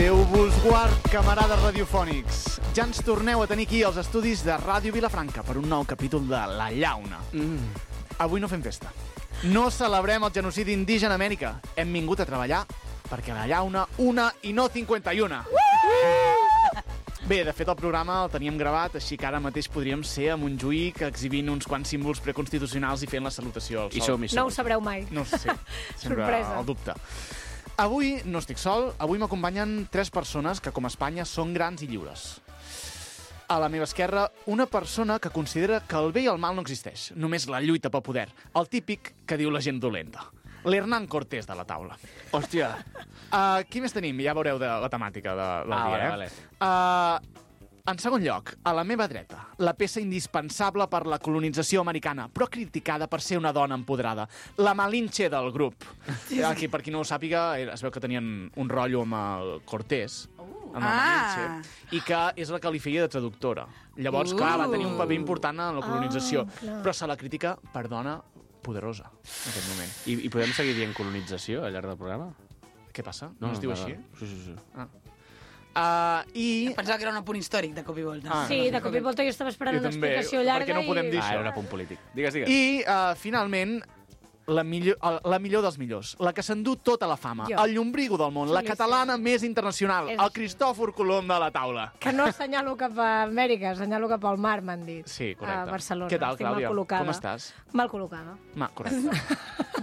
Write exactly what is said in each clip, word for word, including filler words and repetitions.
Déu vos guard, camarades radiofònics. Ja ens torneu a tenir aquí als estudis de Ràdio Vilafranca per un nou capítol de La Llauna. Mm. Avui no fem festa. No celebrem el genocidi indígena a Amèrica. Hem vingut a treballar perquè La Llauna, una i no cinquanta-una. Uh! Bé, de fet, el programa el teníem gravat, així que ara mateix podríem ser a Montjuïc exhibint uns quants símbols preconstitucionals i fent la salutació al sol. I som, i som. No ho sabreu mai. No ho sé, sempre Sorpresa. el dubte. Avui no estic sol, avui m'acompanyen tres persones que, com a Espanya, són grans i lliures. A la meva esquerra, una persona que considera que el bé i el mal no existeix, només la lluita pel poder, el típic que diu la gent dolenta. L'Hernán Cortés de la taula. Hòstia. Uh, qui més tenim? Ja veureu de la temàtica de, del Ah, dia, vale, eh? vale. Uh, en segon lloc, a la meva dreta, la peça indispensable per la colonització americana, però criticada per ser una dona empoderada, la Malinche del grup. Aquí, per qui no ho sàpiga, es veu que tenien un rotllo amb el Cortés, amb la Ah. Malinche, i que és la que li feia de traductora. Llavors, Uh. clar, va tenir un paper important en la colonització, Ah, clar. però se la critica per dona poderosa en aquest moment. I, I podem seguir dient colonització al llarg del programa? Què passa? No, no es diu va, així? va. Sí, sí, sí. Ah. Uh, I... Pensava que era un apunt històric de cop i volta. Ah, Sí, de cop i volta jo estava esperant Jo una també. explicació Per llarga què no podem dir i... Ah, això? era un apunt polític. Digues, digues. I, uh, finalment, la millor, la millor dels millors, la que s'endú tota la fama, Jo. el llombrigo del món, la Sí, catalana sí. més internacional, És el així. Cristòfor Colom de la taula. Que no assenyalo cap a Amèrica, assenyalo cap al mar, m'han dit. Sí, correcte. A Barcelona. Què tal, Estic Clàudia? mal col·locada. Com estàs? Mal col·locada. Ma, correcte.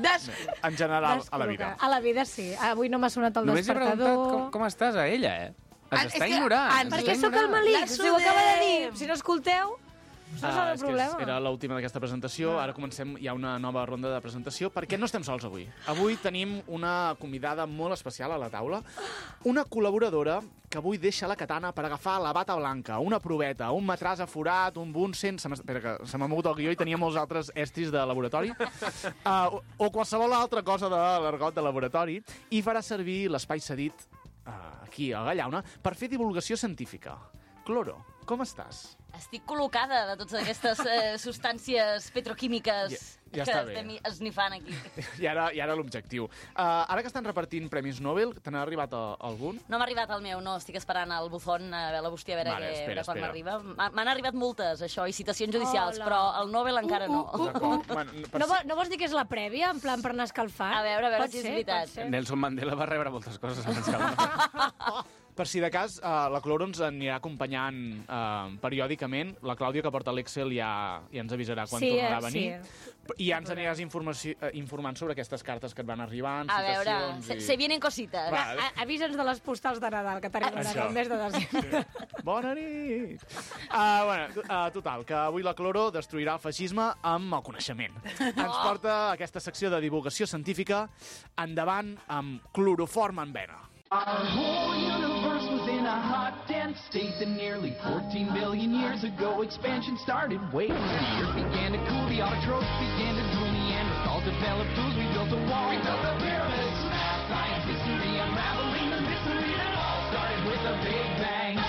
Des... En general, a la vida. A la vida, sí. Avui no m'ha sonat el Només he preguntat despertador. com, com estàs a ella, eh? Ah, Ens és està que ignorant. ens ens Perquè està sóc el ignorant. malic, La si ho acaba de dir. sudem. Si no escolteu, no Ah, sap el és que problema. era l'última d'aquesta presentació, ara comencem, hi ha una nova ronda de presentació, perquè no estem sols avui. Avui tenim una convidada molt especial a la taula, una col·laboradora que avui deixa la katana per agafar la bata blanca, una proveta, un matràs aforat, un bunsen... Se m'ha espera, que se m'ha mogut el guió i tenia molts altres estris de laboratori, uh, o, o qualsevol altra cosa de l'argot de laboratori, i farà servir l'espai cedit uh, aquí a la Llauna per fer divulgació científica. Cloro, com estàs? Estic col·locada de totes aquestes eh, substàncies petroquímiques Ja- ja que està bé. estem esnifant aquí. I ara, i ara l'objectiu. Uh, ara que estan repartint Premis Nobel, te n'ha arribat a, a algun? No m'ha arribat el meu, no. Estic esperant el buzón, a veure la bústia, a veure Vale, que, espera, de quan espera. m'arriba. M'ha- M'han arribat multes, això, i citacions judicials, Hola. però el Nobel encara no. Uh, uh, D'acord. Bueno, per No, si- vo- no vols dir que és la prèvia, en plan per anar escalfant? A veure, a veure Pot si és ser, veritat. pot ser. Nelson Mandela va rebre moltes coses abans que la Per si de cas, uh, la Cloro ens anirà acompanyant uh, periòdicament. La Clàudia, que porta l'Excel, ja, ja ens avisarà quan Sí, tornarà eh, a venir. sí. I ja ens aniràs informació, uh, informant sobre aquestes cartes que et van arribant, A veure, citacions... se, i... se vienen cositas. Va. A- Avisa'ns de les postals de Nadal, que t'arribaran Això. el mes de desembre. Bona nit! Uh, bueno, uh, total, que avui la Cloro destruirà el feixisme amb el coneixement. Ens porta aquesta secció de divulgació científica endavant amb cloroform en vena. Our whole universe was in a hot, dense state that nearly fourteen billion years ago expansion started. Wait, the earth began to cool, the autotrophs began to drool, Neanderthals developed tools, we built a wall. We built the pyramids, math, science, history, unraveling the mystery that all started with a big bang.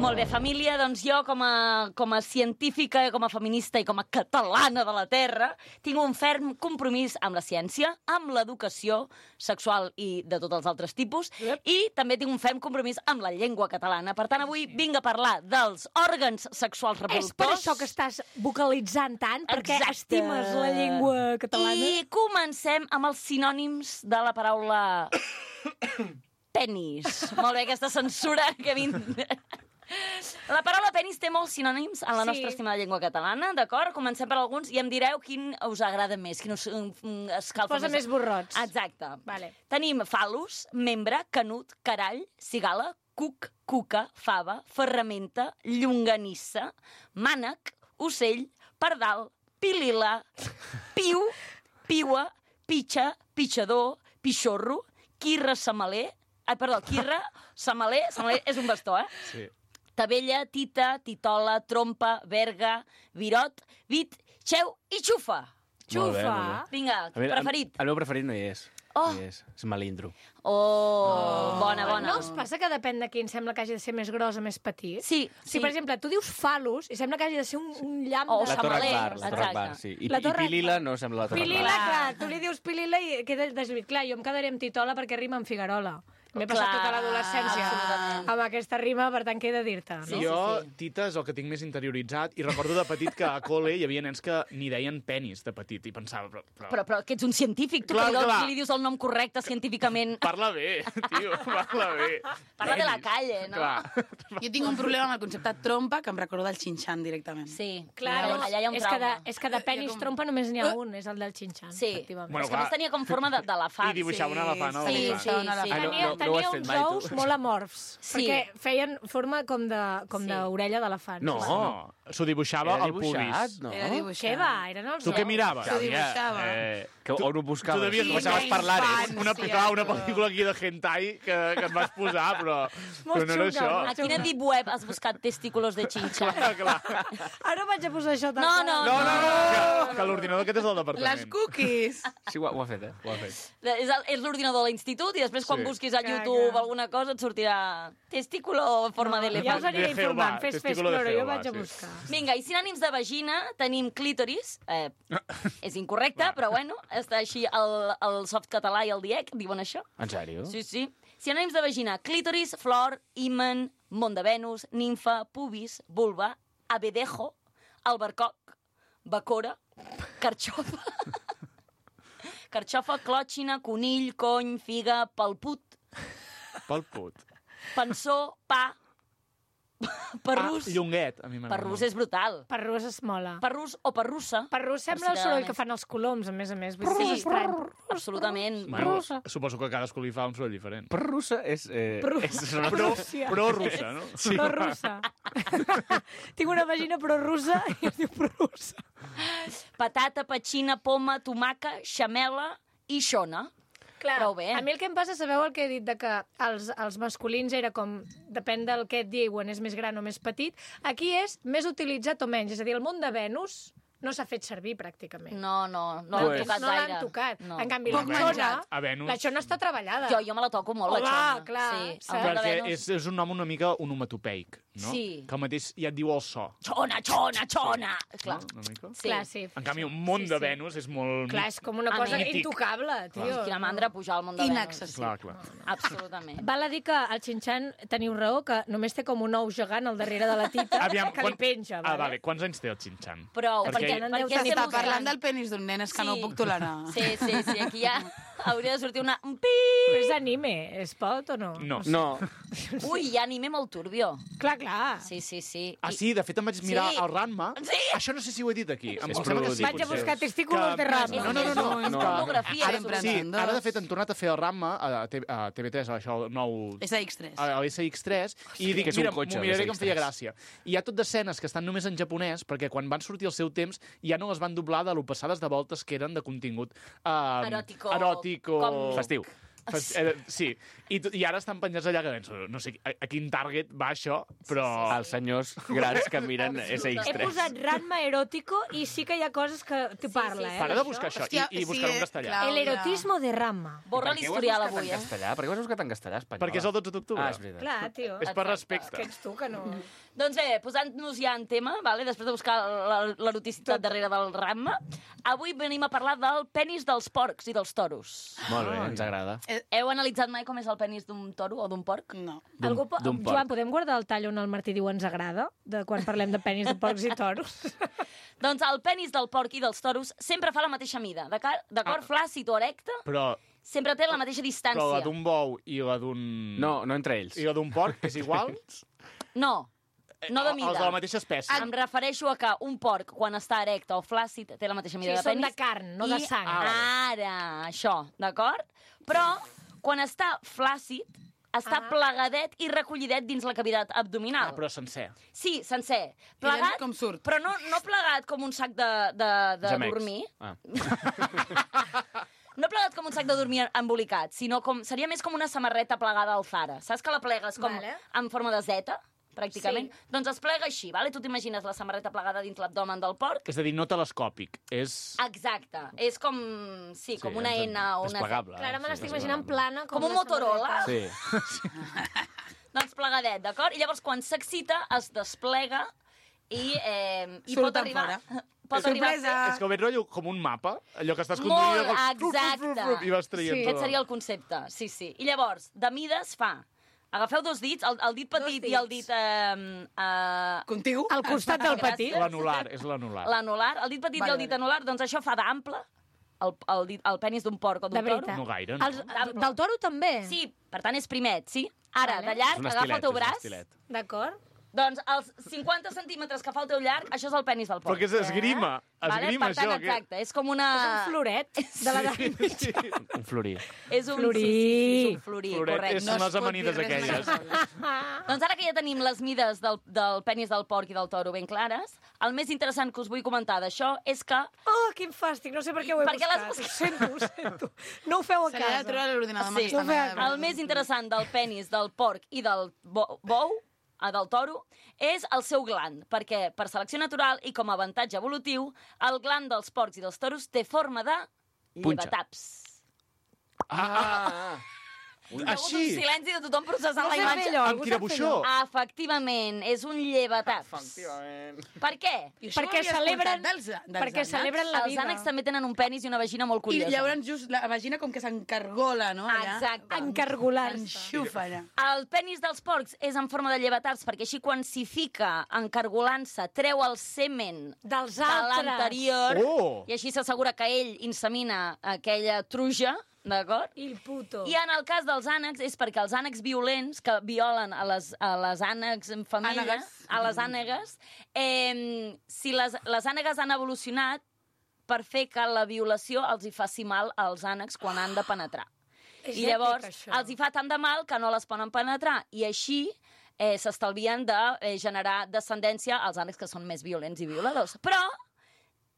Molt bé, família, doncs jo com a, com a científica, com a feminista i com a catalana de la Terra, tinc un ferm compromís amb la ciència, amb l'educació sexual i de tots els altres tipus, Yep. i també tinc un ferm compromís amb la llengua catalana. Per tant, avui vinc a parlar dels òrgans sexuals És reproductors. per això que estàs vocalitzant tant, perquè Exacte. estimes la llengua catalana. I comencem amb els sinònims de la paraula penis. Molt bé, aquesta censura que vinc... La paraula penis té molts sinònims en la Sí. nostra estimada llengua catalana, d'acord? Comencem per alguns i em direu quin us agrada més, quin us mm, escalfa Posa més borrots. Exacte. Vale. Tenim fal·lus, membre, canut, carall, cigala, cuc, cuca, fava, ferramenta, llonganissa, mànec, ocell, pardal, pilila, piu, piua, pitxa, pitjador, pixorro, quirra, samaler... Ai, perdó, quirra, samaler... Samaler és un bastó, eh? Sí. Tabella, tita, titola, trompa, verga, virot, vit, xeu i xufa. Molt bé, Xufa. molt bé. Vinga, A veure, preferit. El, el meu preferit no hi és. Oh. No hi és. És malindro. Oh, bona, bona. No us passa que depèn de quin sembla que hagi de ser més gros o més petit? Sí, Si, sí. per exemple, tu dius fal·lus i sembla que hagi de ser un, un llamp O de... La Torre Samaler, Akbar, la Torre exacte. Akbar, sí. I, La i Torre Pilila Akbar. no sembla la Torre Pilila, Akbar. clar, tu li dius pilila i queda deslluït. Clar, jo em quedaré amb titola perquè rima amb Figuerola. M'he passat Clar, tota l'adolescència absolutament. amb aquesta rima, per tant, què he de dir-te? No? Sí, jo, sí, sí. Tita, és el que tinc més interioritzat, i recordo de petit que a col·le hi havia nens que ni deien penis de petit, i pensava... Però, però... Però, però que ets un científic, tu Clar, que li, clar. li dius el nom correcte científicament. Parla bé, tio, parla bé. Parla de la Penis. calle, no? Clar. Jo tinc un problema amb el concepte trompa que em recorda el xinxan directament. Sí, Clar, allà, no, allà hi ha un és, que de, trauma. és que de penis trompa només n'hi ha un, és el del xinxan, Sí, efectivament. Bueno, és que a més clar. tenia com forma de- d'elefant. I dibuixava un elefant al Sí, voltant. sí, un elefant. sí. Ah, no, Tenia, no, no ho tenia has fet uns mai, tu. ous molt amorfs, Sí. perquè feien forma com de com Sí. d'orella d'elefant. No. No, s'ho dibuixava Era al dibuixat, pubis. no? Era dibuixat. Què va? Eren els Tu què ous. miraves? S'ho dibuixava. Eh, que on ho Tu buscaves? devies Sí, deixaves quina parlar, eh? infància, Una, clar, una tu. pel·lícula aquí de hentai que, que et vas posar, però, però no era xunga, això. molt A quina deep web has buscat testículos de xinxa? Clar, clar. Ara vaig a posar això tal No, qual. no, No, no, no, que, que l'ordinador aquest és del Les departament. cookies! Sí, ho ha, ho ha fet, eh? Ho ha fet. És, el- és l'ordinador de l'institut i després quan Sí. busquis a Clar, YouTube clar. alguna cosa et sortirà testículo en forma Ja us d'elefant. aniré De Jehovà, informant. Fes, fes, testículo de Cloro, jo Jehovà, vaig a sí. buscar. Vinga, i sinònims de vagina tenim clítoris. Eh, és incorrecte, però bueno, està així el, el softcatalà i el diec, diuen això. En sèrio? Sí, sí. Sinònims de vagina: clítoris, flor, himen, món de Venus, nimfa, pubis, vulva, abedejo, albercoc, bacora, carxofa, carxofa, clòtxina, conill, cony, figa, palput, Pel put. pensó, pa, perrús. Ah, llonguet, a mi m'agrada. Perrús és brutal. Perrús es mola. Perrús o perrussa. Perrús sembla el si soroll t'agrada que més. fan els coloms, a més a més. Vull dir que Sí. és estrany. Absolutament. Bueno, suposo que cadascú li fa un soroll diferent. Però russa és... Eh, Però- és Però, però russa, no? Sí. Però russa. Tinc una vagina però russa i es diu prorrussa. Patata, petxina, poma, tomaca, xamela i xona. Clar, Prou bé. a mi el que em passa, sabeu el que he dit, de que els, els masculins era com, depèn del que et diuen, és més gran o més petit, aquí és més utilitzat o menys, és a dir, el món de Venus no s'ha fet servir pràcticament. No, no, no Pues- l'han tocat no l'han gaire. tocat. No. En canvi, Poc la xona, menjat. A Venus. la xona està treballada. Jo, jo me la toco molt, Home, la xona. clar, sí, saps? el món de Perquè Venus. és, és un nom una mica onomatopeic, no? Sí. Que el mateix ja et diu el so. Xona, xona, xona! Clar. No? Una mica? Sí. Clar, sí. En canvi, un món Sí, de sí. Venus és molt... Clar, és com una A cosa mi- intocable, tio. Quina mandra pujar al món de Venus. Inaccessible. Clar, clar. Absolutament. Val a dir que el xinxan, teniu raó, que només té com un ou gegant al darrere de la tita Aviam, que li penja. Ah, vale. Quants anys té el Xinxan? Prou, Perquè- perquè, Perquè perquè, deu estem tenir Està parlant buscant- del penis d'un nen, és que Sí. no ho puc tolerar. Sí, sí, sí, aquí ja hauria de sortir una... Un pi! Però és anime, es pot o no? No. No, Ui, hi ha anime molt turbio. Clar, clar. Sí, sí, sí. Ah, I- sí, de fet em vaig mirar Sí. el Ranma. Sí. Això no sé si ho he dit aquí. Em És sembla que sí, prolúdic. Vaig a potser. buscar testículos de Ranma. No, no, no, no. És no. pornografia, Ara, Sempre sí, en dos. ara de fet han tornat a fer el Ranma a, T- a T V tres, a això, el nou... És a X tres. a l'S X tres, i dic, que és un mira, cotxe, m'ho miraré l'S que X em feia tres. gràcia. I hi ha tot d'escenes que estan només en japonès, perquè quan van sortir al seu temps ja no les van doblar de lo passades de voltes que eren de contingut uh, Eròtico. eròtico Com- festiu. Fes, eh, sí, I, t- i ara estan penjats allà que penso, no sé a, a quin target va això, però... Els senyors grans que miren S X He tres. posat Ranma erótico i sí que hi ha coses que t'ho parla, eh? Para de buscar això, Hòstia, i, i buscar sí, en castellà. clar. El erotismo de Ranma. Borra l'historial avui, en eh? castellà? Per què ho has buscat en castellà, espanyol? Perquè és el dotze d'octubre. Ah, és veritat. Clar, tio. És per Exacte. respecte. Que ets tu que no... Doncs bé, posant-nos ja en tema, vale? Després de buscar la- l'eroticitat darrere del Ramma, avui venim a parlar del penis dels porcs i dels toros. Molt bé, ens agrada. Heu analitzat mai com és el penis d'un toro o d'un porc? No. D'un- Algú po... d'un porc. Joan, podem guardar el tall on el Martí diu ens agrada? De quan parlem de penis de porcs i toros? Doncs el penis del porc i dels toros sempre fa la mateixa mida. D'acord? D'acord? Ah. Flàcid o erecte, Però, sempre té la mateixa però la distància. d'un bou i la d'un... No, no entre ells. I la d'un porc és igual? No, no de mida. Els de la mateixa espècie. Em refereixo a que un porc, quan està erecte o flàcid, té la mateixa mida Sí, de són penis. de carn, no de I sang. ara, això, d'acord? Però, quan està flàcid, està Ah. plegadet i recollidet dins la cavitat abdominal. Ah, però sencer. Sí, sencer. I Plegat, llavors com surt? però no, no plegat com un sac de, de, de Gemecs. dormir. Ah. No plegat com un sac de dormir embolicat, sinó com seria més com una samarreta plegada al Zara. Saps que la plegues com Vale. en forma de zeta, pràcticament? Sí. Doncs es plega així, vale? Tu t'imagines la samarreta plegada dins l'abdomen del porc? És a dir, no telescòpic. És... Exacte. És com, sí, com una ens- N o una... Desplegable. Clar, ara me Sí, l'estic desplegable. imaginant plana. Com, Com un una Motorola. samarreta. Sí. Doncs plegadet, d'acord? I llavors, quan s'excita, es desplega i, eh, i Surt pot arribar... fora. pot arribar a Sorpresa! ser... És que ho veig rotllo com un mapa, allò que estàs Molt, conduint... com- exacte. I vas traient Sí. tot. Aquest seria el concepte, sí, sí. I llavors, de mides fa... Agafeu dos dits, el, el dit petit Dos i el dits. dit... Eh, eh, Contigo? Al costat del petit. L'anular, és l'anular. l'anular, el dit petit Vale, i el dit vale. anular, doncs això fa d'ample, el, el, dit, el penis d'un porc o De d'un toro. veritat. No gaire, no? Els, del toro també? Sí, per tant és primet, sí? Ara, Vale. de És llarg, un agafa estilet, el teu és un braç. estilet. D'acord. Doncs els cinquanta centímetres que fa el teu llarg, això és el penis del porc. Però que és esgrima. Esgrima, vale? Per tant, això. que- exacte, és com una... És un floret de la Sí, sí. Un florí. És un... Florí. Sí, sí, sí, és un florí, Floret, correcte. és- No Són es les pot amanides dir res aquelles. més. Doncs ara que ja tenim les mides del, del penis del porc i del toro ben clares, el més interessant que us vull comentar d'això és que Oh, quin fàstic, no sé per què ho he Per què l'has buscat. buscat? Ho sento, ho sento. No ho feu a Se l'ha de casa. treure a l'ordinador amb Sí. aquesta No feu- mena de- el més interessant del penis del porc i del bo bou, ah, del toro, és el seu gland, perquè per selecció natural i com a avantatge evolutiu, el gland dels porcs i dels toros té forma de Punxa. llevataps. Ah! Hi ha hagut un Així. silenci de tothom processant No la sé imatge. fer allò, Amb algú quina sap fer buixó? allò? Efectivament, és un llevataps. Efectivament. Per què? I això ho Perquè havies celebren, escoltat dels, dels perquè ànecs? celebren la Els vida. ànecs també tenen un penis i una vagina molt I curiosa. llavors just la vagina com que s'encargola, no? Allà. Exacte. Encargolar-se. Enxufa allà. El penis dels porcs és en forma de llevataps perquè així quan s'hi fica encargolant-se treu el semen Dels de altres. l'anterior Oh! i així s'assegura que ell insemina aquella truja, d'acord? I el puto. I en el cas dels ànecs és perquè els ànecs violents que violen a les, a les ànecs en família, Ànegues. a les ànegues, eh, si les, les ànegues han evolucionat per fer que la violació els hi faci mal als ànecs quan han de penetrar. És I èpic, llavors això. els hi fa tant de mal que no les poden penetrar i així eh, s'estalvien de eh, generar descendència als ànecs que són més violents i violadors. Però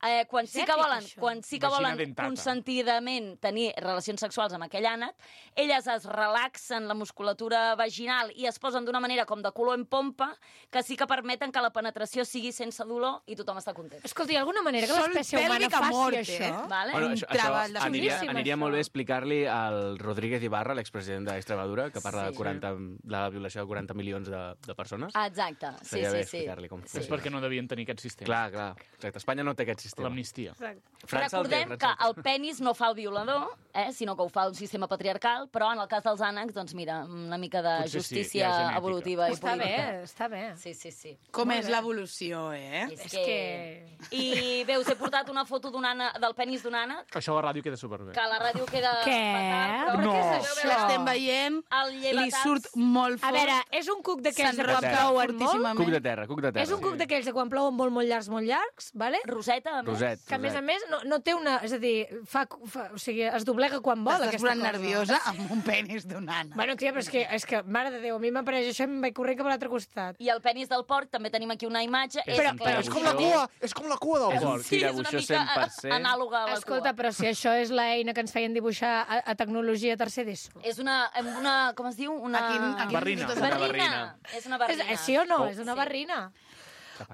eh, quan, És sí que èpic, volen, això. quan sí que Vagina volen dentata. consentidament tenir relacions sexuals amb aquell ànec, elles es relaxen la musculatura vaginal i es posen d'una manera com de color en pompa que sí que permeten que la penetració sigui sense dolor i tothom està content. Escolta, hi ha alguna manera que Sol l'espècie humana pèlvic a faci mort, això? eh? Vale? Bueno, Un això, treball això de aniria, xulíssim, aniria això. molt bé explicar-li al Rodríguez Ibarra, l'expresident d'Extremadura, que parla Sí. de, quaranta, de la violació de quaranta milions de, de persones. Exacte, sí, Estaria bé sí, sí. explicar-li com sí. És perquè no devien tenir aquest sistema. Clar, clar. Exacte. Espanya no té aquest sistema. L'amnistia. Exacte. França el té, Recordem que França el té. el penis no fa el violador, eh, sinó que ho fa un sistema patriarcal, però en el cas dels ànecs, doncs mira, una mica de Potser sí, justícia hi ha genètica. evolutiva i Està bé, política. està bé. Sí, sí, sí. Com és l'evolució, eh? És, És que... que- I bé, us he portat una foto d'un ànec, del penis d'un ànec, Això a la ràdio queda superbé. que a la ràdio queda Què? fatal, però... Però No. què és Veu, això? veu, L'estem veient, El li llevataps... surt molt A fort. veure, és un cuc d'aquells de quan s'enrosca plouen molt? fortíssimament. Cuc de terra, cuc de terra. És un cuc d'aquells de quan plouen molt, molt llargs, molt llargs, vale? Roseta, a més. Roset, Que a més a roset. més no, no té una... És a dir, fa, fa, o sigui, es doblega quan vol, Estàs aquesta posant cosa. nerviosa amb un penis d'un ànec. Bueno, tia, però és que, és que, mare de Déu, a mi m'apareix això i em vaig corrent cap a l'altre costat. I el penis del porc, també tenim aquí una imatge. És Però- un però És com la tirabuixó. cua, és com la cua del És un porc. Sí, és una tirabuixó mica cent per cent. anàloga a la Escolta, cua. però si això és l'eina que ens feien dibuixar a, a tecnologia tercer d'ESO. És una, una... Com es diu? Una... A quin- a quin Barrina. institut Una estàs? barrina. És una És, barrina. és, sí o no? Oh. És una Sí. barrina.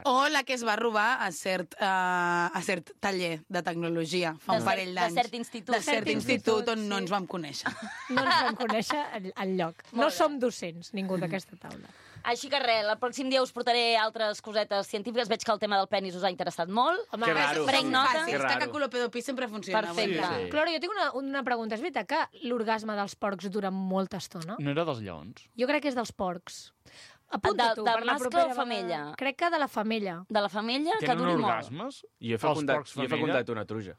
O la que es va robar a cert, uh, a cert taller de tecnologia fa De un cert- parell de d'anys. cert institut. De cert Cert institut institut, on no sí. ens vam conèixer. No ens vam conèixer al, al lloc. No Molt bé. som docents, ningú d'aquesta taula. Així que res, el pròxim dia us portaré altres cosetes científiques. Veig que el tema del penis us ha interessat molt. Home, Que raro. Prenc nota. Fàcil, Que és que raro. caculopedopí sempre funciona. Perfecte. molt bé. Sí. Clora, jo tinc una, una pregunta. És veritat que l'orgasme dels porcs dura molta estona? No era dels lleons? Jo crec que és dels porcs. Apunta De- tu, de per la mascle propera o femella? vegada. Crec que de la femella. De la femella, que Tenen duri molt. orgasmes? Jo he Els fecundat, porcs jo he femella? fecundat una truja.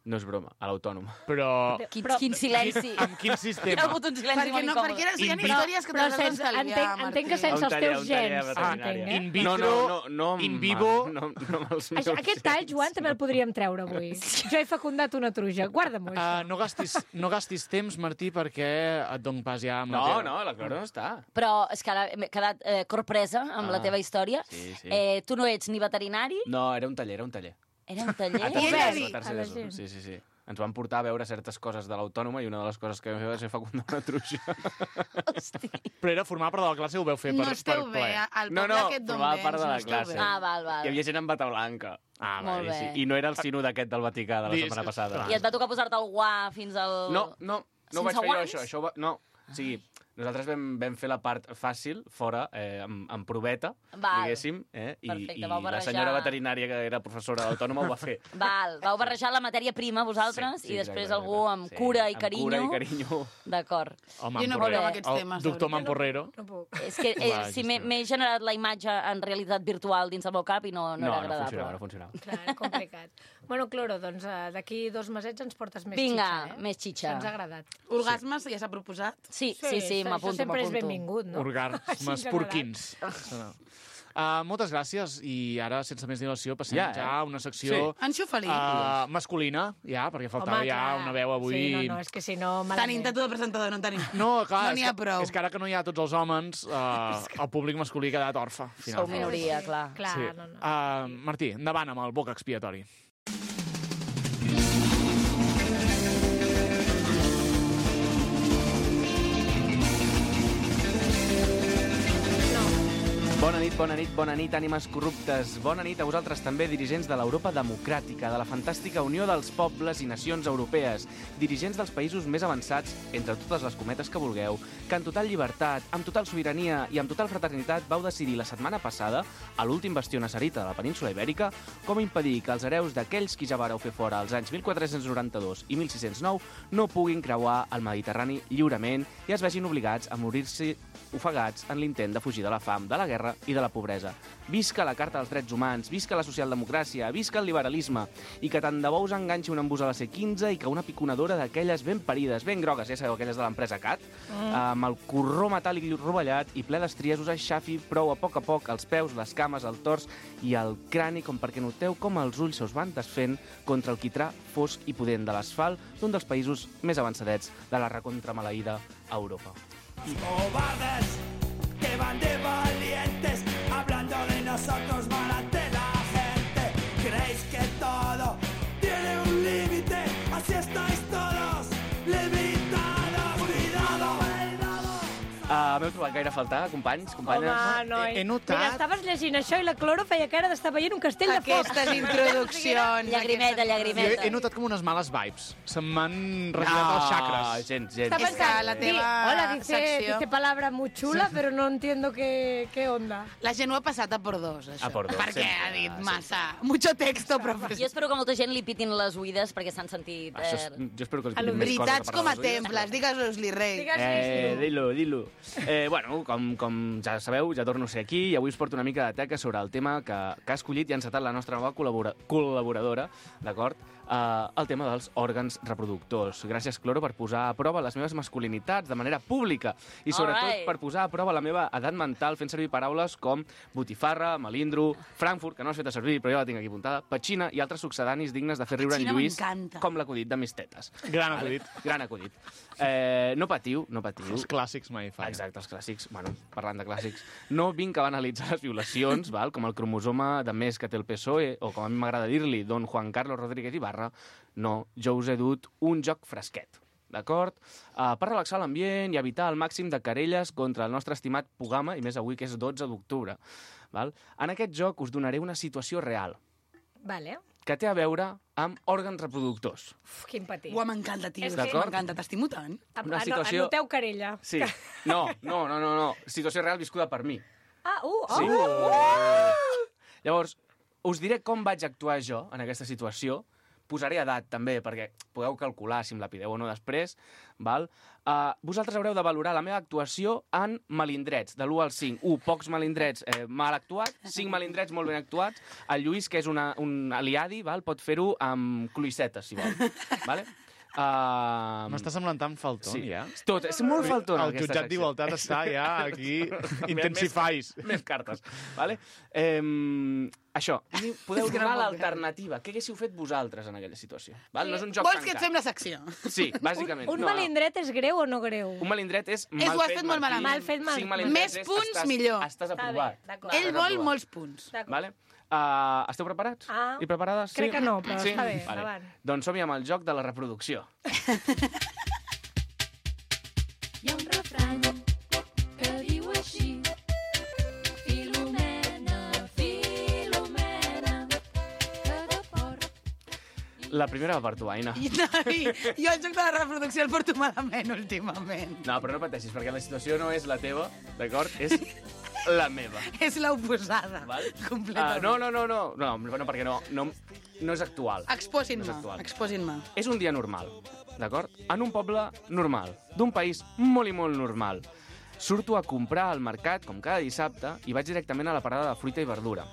No és broma, a l'autònom. Però Quin, Però- quin silenci. amb quin Hi ha sistema? hagut un silenci Perquè, molt no, incòmode. perquè eren, eren In- històries que Però t'has sense, d'estalviar, entenc, entenc que Martí. sense els Un taller, teus un taller gens. veterinari. Entenc, eh? In No, vitro, no, no, no, amb- in vivo... No, no amb els Això, meus aquest tall, Joan, també el podríem treure avui. Jo he fecundat una truja. Guarda-m'ho, Uh, això. no, gastis, no gastis temps, Martí, perquè et dono pas ja amb la No, teva. no, la Clara no està. Però és que ara m'he quedat eh, corpresa amb Ah, la teva història. sí, sí. Eh, tu no ets ni veterinari, No, era un taller, era un taller. era un taller. A I tercer ella d'ESO, dir a tercer a la d'ESO. gent. Sí, sí, sí. Ens van portar a veure certes coses de l'autònoma i una de les coses que vam fer va ser fecundar una truja. Hosti. Però era formar part de la classe, ho veu fer per, No per esteu ple. bé, al No, poble no, aquest d'on formava vens, part de no la esteu classe. bé. Ah, val, val. Hi havia gent amb bata blanca. Ah, Molt vale. bé. Sí, i no era el sinó d'aquest del Vaticà de la Dis- setmana passada. clar. I et va tocar posar-te el guà fins al... No, no, no ho Sense vaig fer jo, guants? això. això ho va... No, o sigui, Nosaltres vam, vam fer la part fàcil, fora, eh, amb, amb proveta, Val. diguéssim, eh? I, Perfecte, i vau la barrejar- senyora veterinària, que era professora d'autònoma, ho va fer. Val, vau barrejar la matèria prima vosaltres Sí, sí, i després exacte, algú amb sí, cura i amb carinyo. cura i carinyo. D'acord. El Jo no Mamporrero. parlo amb aquests El temes, doctor la veritat. Mamporrero. No puc. És que eh, Va, si m'he gestionar. m'he generat la imatge en realitat virtual dins el meu cap i no, no, No, era no agradable. funcionava, no funcionava. Clar, complicat. Bueno, Cloro, doncs eh, d'aquí dos mesets ens portes més Vinga, xitxa, eh? més xitxa. Això ens ha agradat. Orgasmes ja s'ha proposat? Sí, sí, sí, això m'apunto, sempre és m'apunto. benvingut, no? Orgasmes Així en general. porquins. Uh, moltes gràcies, i ara, sense més dilació, passem Ja, ja, eh? ja a una secció Anxo Felí. uh, masculina, ja, perquè faltava Home, ja clar. una veu avui... Sí, no, no, és que si no... Tenim malament. tatu de presentador, no en tenim. No, clar, No n'hi és, ha que, prou. és que ara que no hi ha tots els homes, uh, el públic masculí ha quedat orfe. Sou finalment. minoria, clar. Clar, Sí. no, no. Uh, Martí, endavant amb el boc expiatori. Bona nit, bona nit, bona nit, ànimes corruptes. Bona nit a vosaltres també, dirigents de l'Europa democràtica, de la fantàstica Unió dels Pobles i Nacions Europees, dirigents dels països més avançats, entre totes les cometes que vulgueu, que en total llibertat, amb total sobirania i amb total fraternitat vau decidir la setmana passada, a l'últim bastió nasserita de la península Ibèrica, com impedir que els hereus d'aquells qui ja vareu fer fora als anys mil quatre-cents noranta-dos i mil sis-cents nou no puguin creuar el Mediterrani lliurement i es vegin obligats a morir-se ofegats en l'intent de fugir de la fam, de la guerra i de la pobresa. Visca la Carta dels Drets Humans, visca la socialdemocràcia, visca el liberalisme, i que tant de bo us enganxi un embús a la C quinze i que una piconadora d'aquelles ben parides, ben grogues, ja sabeu, aquelles de l'empresa Cat, mm. amb el corró metàl·lic rovellat i ple d'estries us aixafi prou a poc a poc els peus, les cames, el tors i el crani, com perquè noteu com els ulls se us van desfent contra el quitrà fosc i pudent de l'asfalt d'un dels països més avançadets de la recontramaleïda Europa. Cobardes que van de valientes, hablando de nosotros malante la gente. Creéis que todo tiene un límite, así estáis todos limitados. Cuidado, cuidado. Uh, M'heu trobat gaire a faltar, companys, companyes? Home, noi. He notat- Mira, estaves llegint això i la Cloro feia cara d'estar veient un castell de foc. Aquestes introduccions... Llagrimeta, aquestes- Jo llagrimeta. he, he notat com unes males vibes. Se'm van regirat els xacres. gens, gens. Està És que pensant, la di, teva hola, dice, secció- dice palabra muy chula, pero no entiendo qué, qué onda. La gent ho ha passat a por dos, això. A por dos, Perquè sempre, ha dit sempre. massa... Mucho texto, Jo professor. espero que molta gent li pitin les oïdes perquè s'han sentit... Això és, Eh... jo espero que us A lo diguin més coses Veritats a com a parlar dels oïdes. temples, digues-los-li, rei. Digues-li, Eh, sí. dilo, dilo. Eh, bueno, com, com ja sabeu, ja torno a ser aquí i avui us porto una mica de teca sobre el tema que, que ha escollit i ha encetat la nostra nova col·labora col·laboradora, d'acord? Uh, el tema dels òrgans reproductors. Gràcies, Cloro, per posar a prova les meves masculinitats de manera pública i, sobretot, Alright. per posar a prova la meva edat mental fent servir paraules com botifarra, melindro, Frankfurt, que no has fet a servir, però jo la tinc aquí apuntada, petxina i altres succedanis dignes de fer riure en Petxina Lluís, m'encanta. com l'acudit de mis tetes. Gran acudit. Gran acudit. Eh, no patiu, no patiu. Els clàssics mai fan. Exacte, els clàssics. Bueno, parlant de clàssics, no vinc a analitzar les violacions, val? Com el cromosoma de més que té el P S O E, o com a mi m'agrada dir-li, don Juan Carlos Rodríguez Ibarra. No, jo us he dut un joc fresquet, d'acord? Uh, per relaxar l'ambient i evitar el màxim de querelles contra el nostre estimat Pugama, i més avui que és dotze d'octubre. Val? En aquest joc us donaré una situació real, Vale. que té a veure amb òrgans reproductors. Uf, quin patir. Ua, m'encanta, tio. És És que- M'encanta, t'estimo tant. una Ano- situació- Anoteu querella. Sí. No, no, no, no, no. Situació real viscuda per mi. Ah, uh, oh, Sí. uh, Llavors, us diré com vaig actuar jo en aquesta situació. Posaré edat, també, perquè podeu calcular si em la pideu o no després. Val? Uh, vosaltres haureu de valorar la meva actuació en melindrets, de l'u al cinc. un, pocs melindrets eh, mal actuats, cinc melindrets molt ben actuats. El Lluís, que és una, un aliadi, val? Pot fer-ho amb cloïssetes, si vol. Vale? Uh, M'està semblant tan faltón, sí. ja. Tot, és molt faltona El jutjat d'igualtat està ja aquí. Intensifais. Més, més cartes, vale? Eh, això, i podeu És que no donar puc l'alternativa. Què haguéssiu fet vosaltres en aquella situació? Val? No és un joc Vols que et tancat. fem la secció? Sí, bàsicament. un no, melindret és greu o no greu? No. Un melindret és mal És, ho has fet, fet molt Martí. malament. Mal fet, mal- Cinc melindrets Més és, punts, estàs, millor. Estàs Està bé, aprovat. d'acord. Ell Estàs vol aprovat. molts punts. D'acord. Vale? Uh, esteu preparats? Ah, I preparades? crec sí? que no, però sí? està bé, Vale. endavant. Doncs som-hi amb el joc de la reproducció. Hi ha un refrany que diu així: Filomena, Filomena, que de porc La primera va per tu, Aina. I, i, jo el joc de la reproducció el porto malament últimament. No, però no pateixis, perquè la situació no és la teva, d'acord? És la meva. És l'oposada, Val? completament. Uh, no, no, no, no, no, no, perquè no, no, no és actual. Exposin-me, No és actual. exposin-me. És un dia normal, d'acord? En un poble normal, d'un país molt i molt normal. Surto a comprar al mercat, com cada dissabte, i vaig directament a la parada de fruita i verdura.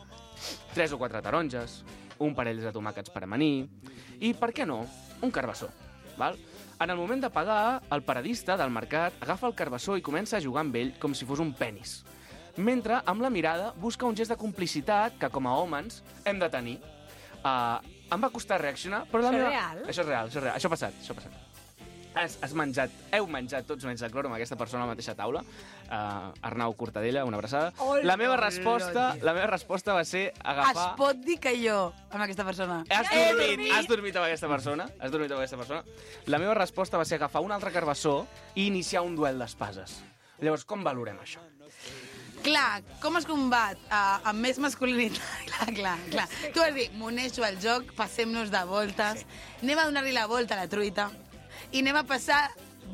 Tres o quatre taronges, un parell de tomàquets per amanir, i, per què no, un carbassó. Val? En el moment de pagar, el paradista del mercat agafa el carbassó i comença a jugar amb ell com si fos un penis. Mentre, amb la mirada, busca un gest de complicitat que, com a homes, hem de tenir. Uh, em va costar reaccionar, però la Això és meva... real? Això és real, això és real. Això ha passat, això ha passat. Has, has menjat, heu menjat tots menys de clor amb aquesta persona a la mateixa taula. Uh, Arnau Cortadella, una abraçada. Hola, la meva hola, resposta, tio. la meva resposta va ser agafar... Es pot dir que jo, amb aquesta persona... Has He dormit, dormit. has dormit amb aquesta persona? Has dormit amb aquesta persona? La meva resposta va ser agafar un altre carbassó i iniciar un duel d'espases. Llavors, com valorem això? Clar, com es combat uh, amb més masculinitat? Clar, clar, clar. Tu has dit, m'uneixo al joc, passem-nos de voltes, sí. anem a donar-li la volta a la truita i anem a passar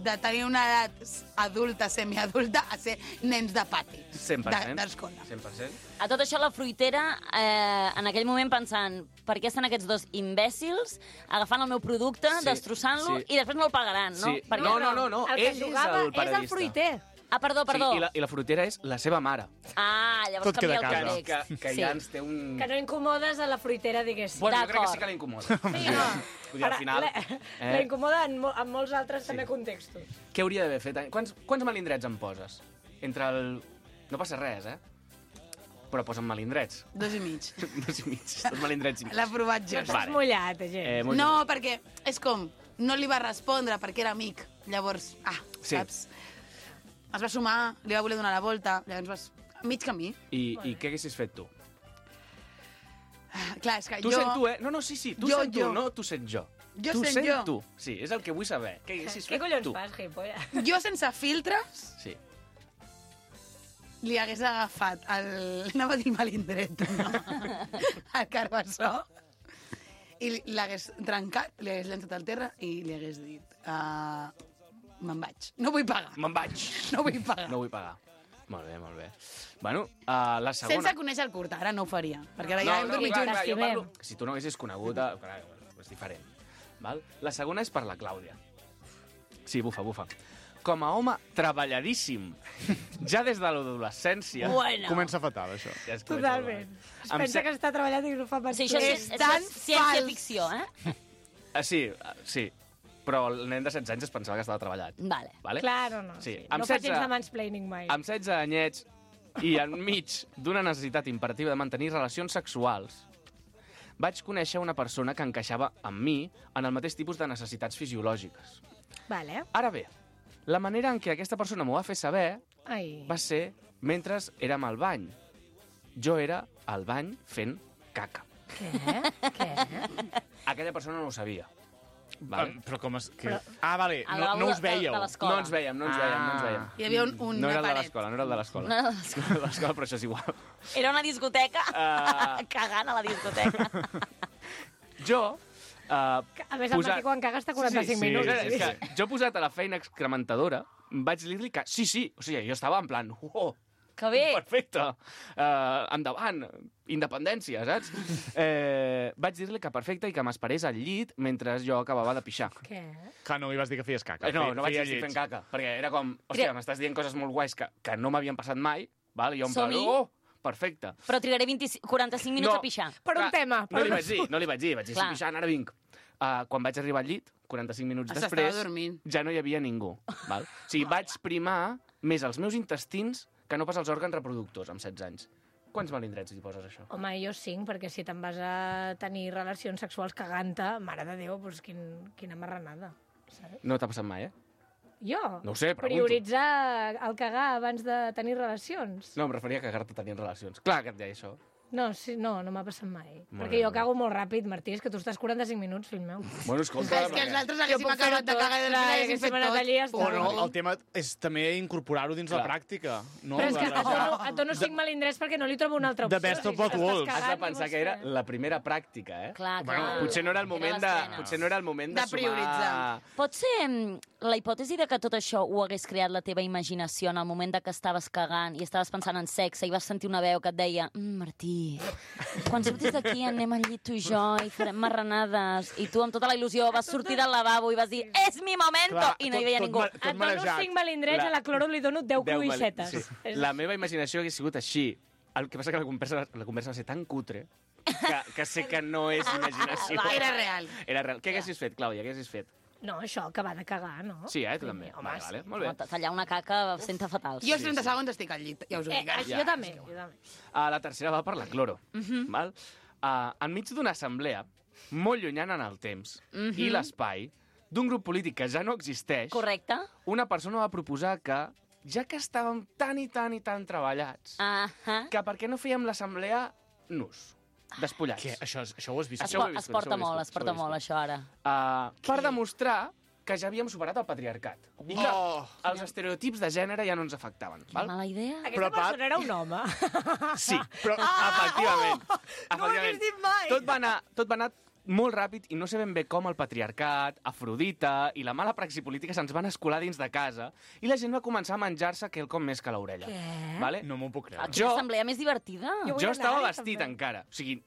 de tenir una edat adulta, semiadulta, a ser nens de pati. cent per cent. D'escola. cent per cent. A tot això, la fruitera, eh, en aquell moment pensant per què estan aquests dos imbècils agafant el meu producte, Sí, destrossant-lo, sí. i després no el pagaran, no? Sí. Perquè- No, no, no, no. El que Ell és jugava el és el paradista. fruiter. Ah, perdó, perdó. Sí, i, la, I la frutera és la seva mare. Ah, llavors Tot queda canvia a el casa. context. Que, que sí. ja ens té un... Que no incomodes a la fruitera, diguéssim. Bueno, jo crec que D'acord. sí que la incomoda. Sí, no. Vull dir, al final... La, eh, la incomoda en, mo en molts altres també contextos. Què hauria d'haver fet? Quants, quants malindrets em poses? Entre el... No passa res, eh? Però posa'm malindrets. Dos i mig. Dos i mig. Dos malindrets i mig. L'ha provat jo. Estàs mullat, eh, gent. Eh, molt No, perquè és com, no li va respondre perquè era amic. Llavors, ah, Sí. saps? Es va sumar, li va voler donar la volta, llavors vas... Mig camí. I, I què haguessis fet tu? Ah, clar, és que Tu jo... sent tu, eh? No, no, sí, sí. Tu Jo, sent tu, jo. no tu sent jo. Jo tu sent jo. tu. Sí, és el que vull saber. Què haguessis Què fet collons tu? fas, gilipolles? Jo sense filtres Sí. li hagués agafat el... Anava a dir el malindret, no? El carbassó. I li- l'hagués trencat, li hagués llançat al terra i li hagués dit... Uh, me'n vaig. No vull pagar. Me'n vaig. No vull pagar. No vull pagar. Molt bé, molt bé. Bueno, uh, la segona... Sense conèixer el curt, ara no ho faria. Perquè ara ja hem dormit clar, junts. clar, jo T'estimem. parlo... Si tu no haguessis conegut... eh, Clar, és diferent. Val? La segona és per la Clàudia. Sí, bufa, bufa. Com a home treballadíssim, ja des de l'adolescència... Bueno. Comença fatal, això. Ja es comença Totalment. a- Es Em pensa se- que està treballant i no fa pas Sí, això és, És és, tan és ciència fals. ficció, eh? Ah, sí, ah, sí. Però el nen de setze anys es pensava que estava treballat. Vale. Vale? Clar, no, no. Sí. Sí. Amb No faig setze gens de mansplaining mai. Amb setze anyets i enmig d'una necessitat imperativa de mantenir relacions sexuals, vaig conèixer una persona que encaixava amb mi en el mateix tipus de necessitats fisiològiques. Vale. Ara bé, la manera en què aquesta persona m'ho va fer saber Ai. va ser mentre érem al bany. Jo era al bany fent caca. Què? Què? Aquella persona no ho sabia. Vale? Ah, però com es... Que... Però- Ah, vale, A no, l'aula no us de- veieu. de l'escola. No ens veiem, no ens veiem, no ens veiem. Ah. Hi havia un, un No era el de paret. l'escola, no era el de l'escola. No, No era el de l'escola, però això és igual. era una discoteca. Ah. Cagant a la discoteca. Jo... Uh, A més, el Martí quan caga està quaranta-cinc sí, minuts. sí, És que jo posat a la feina excrementadora, vaig dir-li que sí, sí, o sigui, jo estava en plan, oh, Que bé. perfecte, uh, endavant, independència, saps? Eh, vaig dir-li que perfecte i que m'esperés al llit mentre jo acabava de pixar. Què? Clar, no li vas dir que feies caca. Eh, no, feia- no vaig feia dir lleig. fent caca, perquè era com, hòstia, Tria- m'estàs dient coses molt guais que, que no m'havien passat mai, val? I jo en plan, Som-hi. oh, perfecte. Però trigaré vint quaranta-cinc minuts No. a pixar. Per un Clar, tema. No Per li vaig dir, no li vaig dir, vaig dir, Clar. estic pixant, ara vinc. Uh, quan vaig arribar al llit, quaranta-cinc minuts S'estava després, dormint. ja no hi havia ningú. Val? O sigui, vaig primar més els meus intestins que no pas els òrgans reproductors amb setze anys. Quants malindrets li poses, això? Home, jo cinc, perquè si te'n vas a tenir relacions sexuals cagant-te, mare de Déu, doncs quin, quina marranada. Saps? No t'ha passat mai, eh? Jo? No ho sé, pregunto. Prioritzar el cagar abans de tenir relacions? No, em referia a cagar-te tenint relacions. Clar que et deia això. No, sí, no, no m'ha passat mai. Molt Perquè bé, jo molt bé. cago molt ràpid, Martí, és que tu estàs quaranta-cinc minuts, fill meu. Bueno, escolta... És que els altres Jo haguéssim puc fer-ho acabat de tot, cagar i clar, després haguéssim haguéssim fet anat allí i ja tot. està. O no, el tema és també incorporar-ho dins la Clar. pràctica. No? Però és que De- et dono, et dono cinc melindrets perquè no li trobo una altra opció. The best of Si both estàs worlds. cagant, Has de què pensar vols que era fer? la primera pràctica, eh? Clar, Bueno, clar. Potser no era el moment de, l'estrena. potser no era el moment de, De prioritzar. sumar... Pot ser mm, la hipòtesi de que tot això ho hagués creat la teva imaginació en el moment de que estaves cagant i estaves pensant en sexe i vas sentir una veu que et deia mm, Martí, quan surtis d'aquí anem al llit tu i jo i farem marranades. I tu amb tota la il·lusió vas sortir del lavabo i vas dir és mi momento! Clar, I no hi tot- veia tot ningú. ma- Et dono marejat. cinc melindrets, La- a la cloro li dono deu Deu cruixetes. val- sí. És- La meva imaginació hagués sigut així. El que passa que la conversa, la conversa va ser tan cutre que, que sé que no és imaginació. Era real. Era real. Què haguessis fet, Clàudia? Què haguessis fet? No, això, que va de cagar, no? Sí, eh? Tu també. home, Vale, sí. vale. Molt bé. Home, tallar una caca senta fatal. Jo als trenta segons estic al llit, ja us ho Eh, dic. ara. jo també, jo també. Uh, la tercera va per la cloro. Val? Uh, enmig d'una assemblea molt llunyana en el temps i l'espai d'un grup polític que ja no existeix, Correcte? una persona va proposar que, ja que estàvem tan i tan i tan treballats, Ahà. que per què no fèiem l'assemblea nus, despullats. Què? Això, és- això ho has vist? Es, Això ho po he viscut, es porta això ho he molt, viscut, es porta això ho he molt, això ara. Uh, per demostrar que ja havíem superat el patriarcat. I que Oh. els estereotips de gènere ja no ens afectaven. Val? Mala idea. Aquesta Però, Pat- persona era un home. Sí, però efectivament. no ho efectivament. hagués dit mai. Tot va anar, tot va anar molt ràpid i no sé ben bé com el patriarcat, Afrodita i la mala praxi política se'ns van escolar dins de casa i la gent va començar a menjar-se quelcom més que l'orella. Què? Vale? No m'ho puc creure. Quina Jo- assemblea més divertida. Jo vull Jo estava anar-hi, vestit també. encara. O sigui,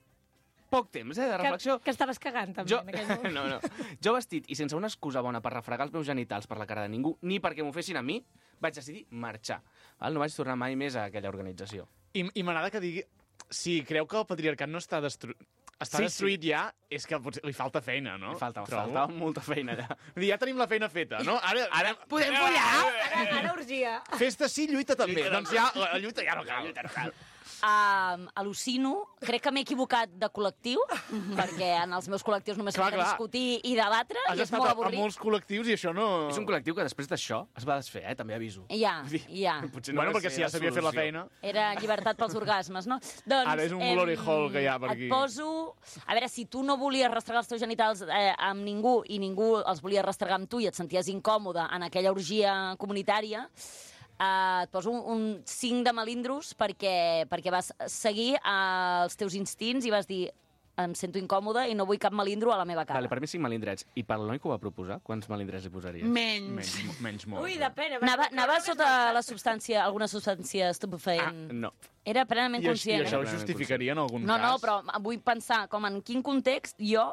poc temps, eh, de reflexió. Que, que estaves cagant, també, Jo, en aquell moment. no, no. Jo vestit i sense una excusa bona per refregar els meus genitals per la cara de ningú, ni perquè m'ho fessin a mi, vaig decidir marxar. Val? No vaig tornar mai més a aquella organització. I, i m'agrada que digui... Si creu que el patriarcat no està destruït... Està Sí, destruït ja, és que potser li falta feina, no? Li faltava, Trobo. faltava molta feina allà. Vull dir, ja tenim la feina feta, no? Ara, ara Podem follar? Ara, ara urgia. Festa sí, lluita també. Lluita doncs ja, la lluita ja no cal. Lluita no cal. Uh, al·lucino, crec que m'he equivocat de col·lectiu, perquè en els meus col·lectius només Clar, falta clar. discutir i debatre, Has i és estat molt a, a avorrit. molts col·lectius i això no... És un col·lectiu que després d'això es va desfer, eh? També aviso. Ja, Vull dir, ja. Potser Bueno, va perquè ser si ja s'havia fet la solució. feina... Era llibertat pels orgasmes, no? Doncs, Ara és un glory em, hole que hi ha per aquí. Et poso... A veure, si tu no volies rastregar els teus genitals eh, amb ningú i ningú els volia rastregar amb tu i et senties incòmode en aquella orgia comunitària, eh, et poso un, un cinc de melindros perquè, perquè vas seguir eh, els teus instints i vas dir em sento incòmode i no vull cap melindro a la meva cara. Vale, per mi cinc melindrets. I per l'Eloi que ho va proposar, quants melindrets li posaries? Menys. Menys, menys molt. Ui, depèn. Anava, anava sota la substància, alguna substància Ah, estupefaent. no. Era plenament I, això- I conscient. això ho justificaria en algun No, cas? no, però vull pensar com en quin context jo,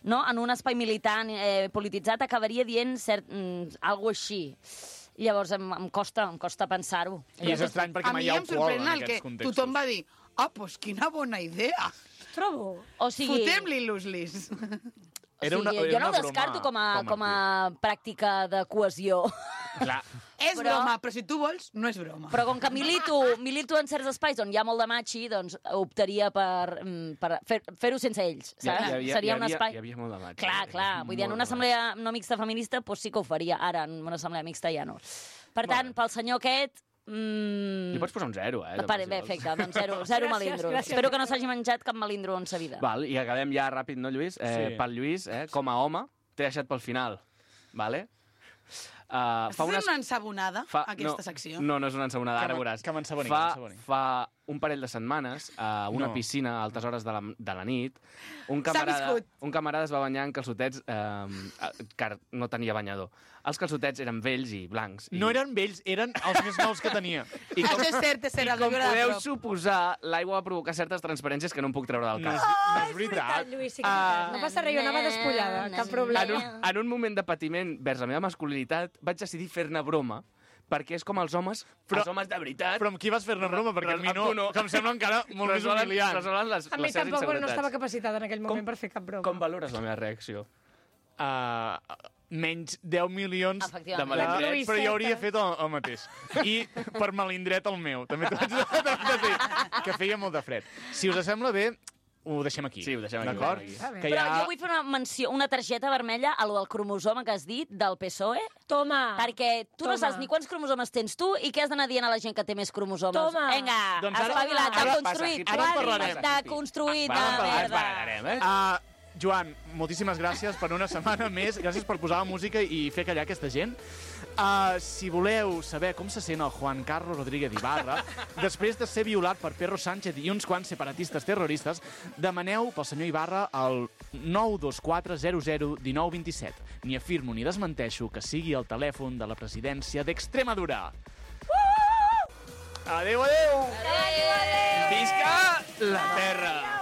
no, en un espai militant eh, polititzat, acabaria dient cert, mm, algo així. Llavors em, em costa, em costa pensar-ho. I és estrany perquè A mai mi hi ha em alcohol sorprèn en el que aquests contextos. tothom va dir ah, doncs quina bona idea. Trobo. O sigui, Fotem-li l'uslis. Era una- o sigui era jo no una ho descarto broma com a, com a com a pràctica de cohesió. Clar, És Però- broma, però si tu vols, no és broma. Però com que milito, milito en certs espais on hi ha molt de machi, doncs optaria per, mm, per fer- fer-ho sense ells, Hi ha- saps? hi havia- Seria hi un havia- espai... Hi havia molt de maig. Clar, clar. Vull dir, en Molt una de assemblea no mixta feminista, doncs sí que ho faria. Ara, en una assemblea mixta ja no. Per tant, pel senyor aquest... Mm... Li pots posar un zero, eh? Pare, bé, també, si vols. perfecte, doncs zero, zero Gràcies, melindros. gràcies. Espero que no s'hagi menjat cap melindro en sa vida. Val, i acabem ja ràpid, no, Lluís? Eh, Sí. Pel Lluís, eh, com a home, t'he deixat pel final, vale? Uh, Estàs fent una ensabonada, aquesta secció? No, no és una ensabonada, Que ara m'en- veuràs. que m'ensaboni, fa, que m'ensaboni. fa un parell de setmanes, a una No. piscina a altes hores de la, de la nit, un camarada, viscut. un camarada es va banyar en calçotets eh, que no tenia banyador. Els calçotets eren vells i blancs. I, no eren vells, eren els més nous que tenia. I com, Això és cert, és cert, i el com viure de podeu prop. suposar, l'aigua va provocar certes transparències que no em puc treure del No és, cap. no és veritat. Lluís, sí que Ah. no passa res, jo anava despullada, cap En problema. un, en un moment de patiment vers la meva masculinitat, vaig decidir fer-ne broma, perquè és com els homes, però, Però- els homes de veritat... Però amb qui vas fer-ne broma? Perquè Però a mi amb no, tu no. que em sembla encara molt més resolen, humiliant. resolen les, A mi les seves tampoc no inseguretats. estava capacitada en aquell moment Com- per fer cap broma. Com valores la meva reacció? Uh, menys deu milions de Efectivament. melindrets, però La jo hauria fet el, el mateix. I per melindret el meu. També t'ho haig de, de dir, que feia molt de fred. Si us sembla bé, ho deixem aquí. Sí, ho deixem aquí. D'acord? Ho deixem aquí. Que Però ja... jo vull fer una menció, una targeta vermella a lo del cromosoma que has dit, del P S O E, Toma. perquè tu no Toma. saps ni quants cromosomes tens tu i què has d'anar dient a la gent que té més cromosomes. Toma. Vinga, Doncs ara- espavilat, ara- de construït. ara en parlarem. De construït, de Va, va, va, merda. parlarem, eh? Uh, Joan, moltíssimes gràcies per una setmana més. Gràcies per posar la música i fer callar aquesta gent. Uh, si voleu saber com se sent el Juan Carlos Rodríguez Ibarra, després de ser violat per Pedro Sánchez i uns quants separatistes terroristes, demaneu pel senyor Ibarra al nou dos quatre zero zero un nou dos set. Ni afirmo ni desmenteixo que sigui el telèfon de la presidència d'Extremadura. Uh! Adéu, adéu! Adéu, adéu. Visca la terra!